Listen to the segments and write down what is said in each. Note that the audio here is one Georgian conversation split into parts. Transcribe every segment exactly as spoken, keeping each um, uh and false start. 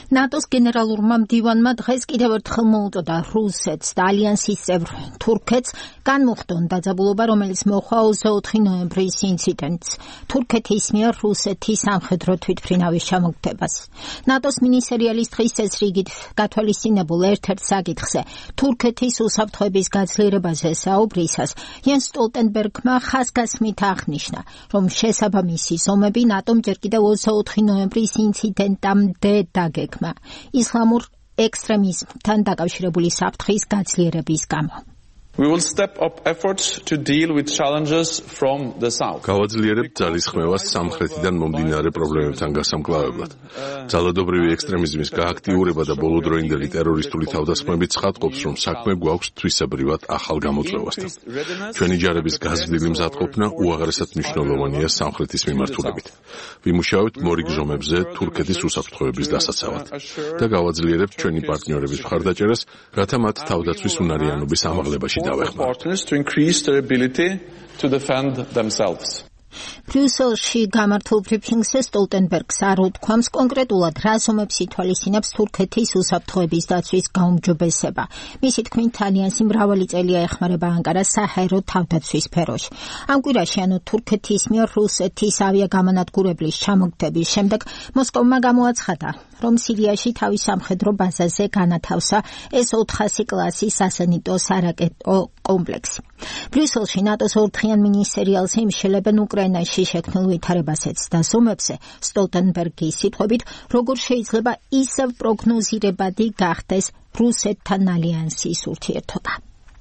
ნატოს გენერალურმა მდივანმა დღეს კიდევ ერთხელ მოუწოდა რუსეთს და ალიანსის წევრ თურქეთს განმუხტონ დაძაბულობა, რომელიც მოჰყვა ოცდაოთხი ნოემბრის ინციდენტს, თურქეთის მიერ რუსეთის სამხედრო თვითმფრინავის ჩამოგდებას. ნატოს მინისერიალის დღის წესრიგით გათვალისწინებულ ერთ-ერთ საკითხზე თურქეთის უსაფრთხოების გაძლიერებაზე საუბრისას იენს სტოლტენბერგმა ხაზგასმით აღნიშნა, რომ შესაბამისი ზომები ნატომ ჯერ კიდევ ოცდაოთხი ნოემბრის ინციდენტამდე დაგეგმა ისლამურ ექსტრემიზმთან დაკავშირებული საფრთხის გაძლიერების გამო. We will step up efforts to deal with challenges from the south. გავაძლიერებთ ძალისხმევას სამხრეთიდან მომდინარე პრობლემებთან გასამკლავებლად. ძალადობრივი ექსტრემიზმის გააქტიურება და ბოლოდროინდელი ტერორისტული თავდასხმებით ცხადყოფს, რომ საქმე გვაქვს თვისებრივად ახალ გამოწვევასთან. ჩვენი ჯარების გაზრდილი მზადყოფნა უაღრესად მნიშვნელოვანია სამხრეთის მიმართულებით. ვიმუშავებთ მორიგჟომებზე თურქეთის უსაფრთხოების დასაცავად და გავაძლიერებთ ჩვენი პარტნიორების მხარდაჭერას, რათა მათ თავდაცვის უნარიანობის ამაღლებაში partners to increase their ability to defend themselves. ბრიუსელში გამართულ ბრიფინგზე სტოლტენბერგს არ უთქვამს კონკრეტულად რა ზომებს ითვალისწინებს თურქეთის უსაფრთხოების დაცვის გაუმჯობესება. მისი თქმით, ალიანსი მრავალი წელია ეხმარება ანკარას საჰაერო თავდაცვის სფეროში. ამ კვირაში, ანუ თურქეთის მიერ რუსეთის ავიაგამონადგურებლის ჩამოგდების შემდეგ, მოსკოვმა გამოაცხადა, რომ სირიაში თავის სამხედრო ბაზაზე განათავსა ეს ოთხასი კლასის სასენიტო სარაკეტო კომპლექსი. ბრიუსელში ნატოს ორდღიან მინისერიალზე იმშელებენ უკრაინაში შექმნილ ვითარებასეც და ზომებზე სტოლტენბერგის სიტყვებით, როგორ შეიძლება ისევ პროგნოზირებადი გახდეს რუსეთთან ალიანსის ურთიერთობა.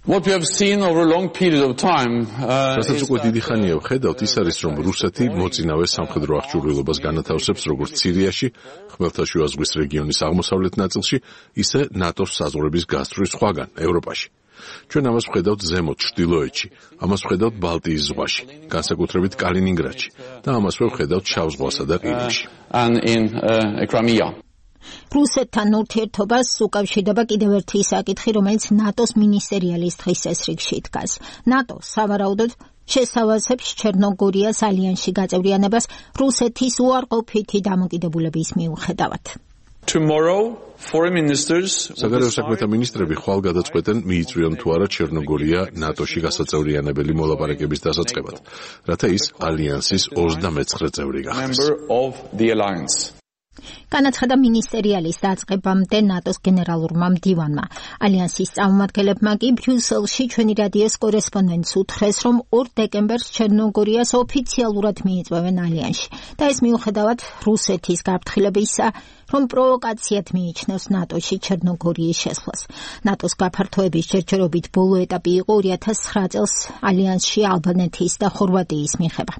What we have seen over a long period of time რასაც უკვე დიდი ხანია ვხედავთ, ის არის, რომ რუსეთი მოწინავე სამხედრო აღჭურვილობას განათავსებს როგორც სირიაში, ხმელთაშუა ზღვის რეგიონის აღმოსავლეთ ნაწილში, ისე ნატოს საზღვრების გასწვრის სხვაგან, ევროპაში. ჩვენ ამას ვხედავთ ზემოთ ჩრდილოეთში, ამას ვხედავთ ბალტიის ზღვაში, განსაკუთრებით კალინინგრადში და ამასვე ვხედავთ შავ ზღვასა და ყირიმში. რუსეთთან ურთიერთობას უკავშირდება კიდევ ერთი საკითხი, რომელიც ნატოს მინისერიალის დღის წესრიგში დგას. ნატო სავარაუდოდ შესთავაზებს ჩერნოგორიას ალიანსში გაწევრიანებას რუსეთის უარყოფითი დამოკიდებულების მიუხედავად. Tomorrow, foreign ministers საგარეო საქმეთა მინისტრები ხვალ გადაწყვეტენ მიიწვიონ თუ არა ჩერნოგორია ნატოში გასაწევრიანებელი მოლაპარაკების დასაწყებად, რათა ის ალიანსის ოცდამეცხრე წევრი გახდეს. განაცხადა მინისერიალის დაწყებამდე ნატოს გენერალურმა მდივანმა. ალიანსის წარმომადგენლებმა კი ბრიუსელში ჩვენი რადიოს კორესპონდენტს უთხრეს, რომ ორ დეკემბერს ჩერნოგორიას ოფიციალურად მიიწვევენ ალიანსში და ეს მიუხედავად რუსეთის გაფრთხილებისა, რომ პროვოკაციად მიიჩნევს ნატოში ჩერნოგორიის შესვლას. ნატოს გაფართოების ჯერჯერობით ბოლო ეტაპი იყო ორი ათას ცხრა წელს ალიანსში ალბანეთის და ხორვატიის მიღება.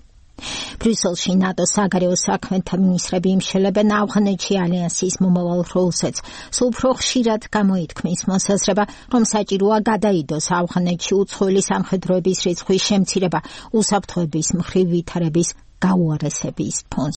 ბრიუსელში ნატოს საგარეო საქმეთა მინისტრები იმშელებენ ავღანეთში ალიანსის მომავალ როლსაც. სულ უფრო ხშირად გამოითქმის მოსაზრება, რომ საჭიროა გადაიდოს ავღანეთში უცხოელი სამხედროების რიცხვის შემცირება უსაფრთხოების მხრივ ვითარების გაუარესების ფონზე.